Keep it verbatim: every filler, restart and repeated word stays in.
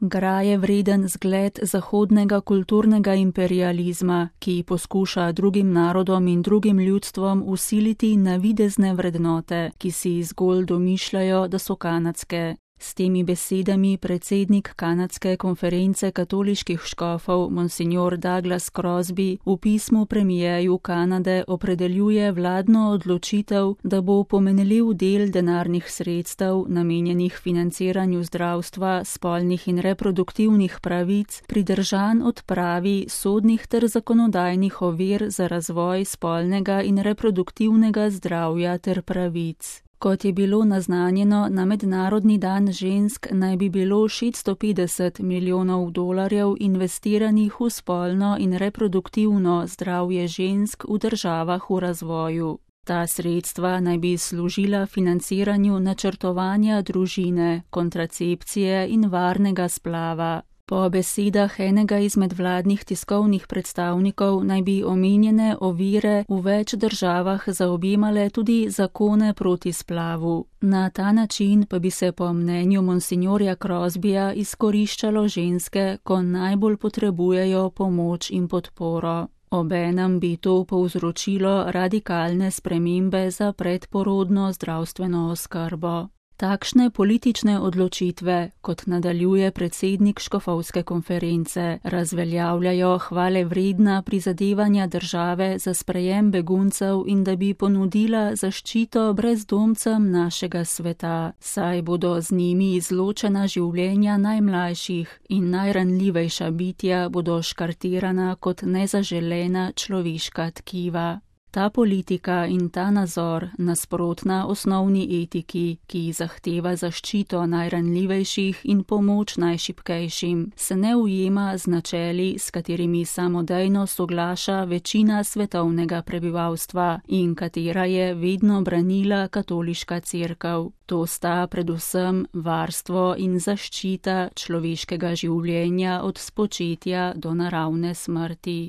Graje vreden zgled zahodnega kulturnega imperializma, ki poskuša drugim narodom in drugim ljudstvom vsiliti navidezne vrednote, ki si zgolj domišljajo, da so kanadske. S temi besedami predsednik kanadske konference katoliških škofov Monsignor Douglas Crosby v pismu premijeju Kanade opredeljuje vladno odločitev, da bo pomenljiv del denarnih sredstev, namenjenih financiranju zdravstva, spolnih in reproduktivnih pravic, pridržan odpravi sodnih ter zakonodajnih ovir za razvoj spolnega in reproduktivnega zdravja ter pravic. Kot je bilo naznanjeno, na Mednarodni dan žensk naj bi bilo šeststo petdeset milijonov dolarjev investiranih v spolno in reproduktivno zdravje žensk v državah v razvoju. Ta sredstva naj bi služila financiranju načrtovanja družine, kontracepcije in varnega splava. Po besedah enega izmed vladnih tiskovnih predstavnikov naj bi omenjene ovire v več državah zaobjemale tudi zakone proti splavu. Na ta način pa bi se po mnenju monsignorja Crosbyja izkoriščalo ženske, ko najbolj potrebujejo pomoč in podporo. Obenem bi to povzročilo radikalne spremembe za predporodno zdravstveno oskrbo. Takšne politične odločitve, kot nadaljuje predsednik škofovske konference, razveljavljajo hvale vredna prizadevanja države za sprejem beguncev in da bi ponudila zaščito brezdomcem našega sveta, saj bodo z njimi izločena življenja najmlajših in najranljivejša bitja bodo škartirana kot nezaželena človeška tkiva. Ta politika in ta nazor, nasprotna osnovni etiki, ki zahteva zaščito najranljivejših in pomoč najšibkejšim, se ne ujema z načeli, s katerimi samodejno soglaša večina svetovnega prebivalstva in katera je vedno branila katoliška cerkev. To sta predvsem varstvo in zaščita človeškega življenja od spočetja do naravne smrti.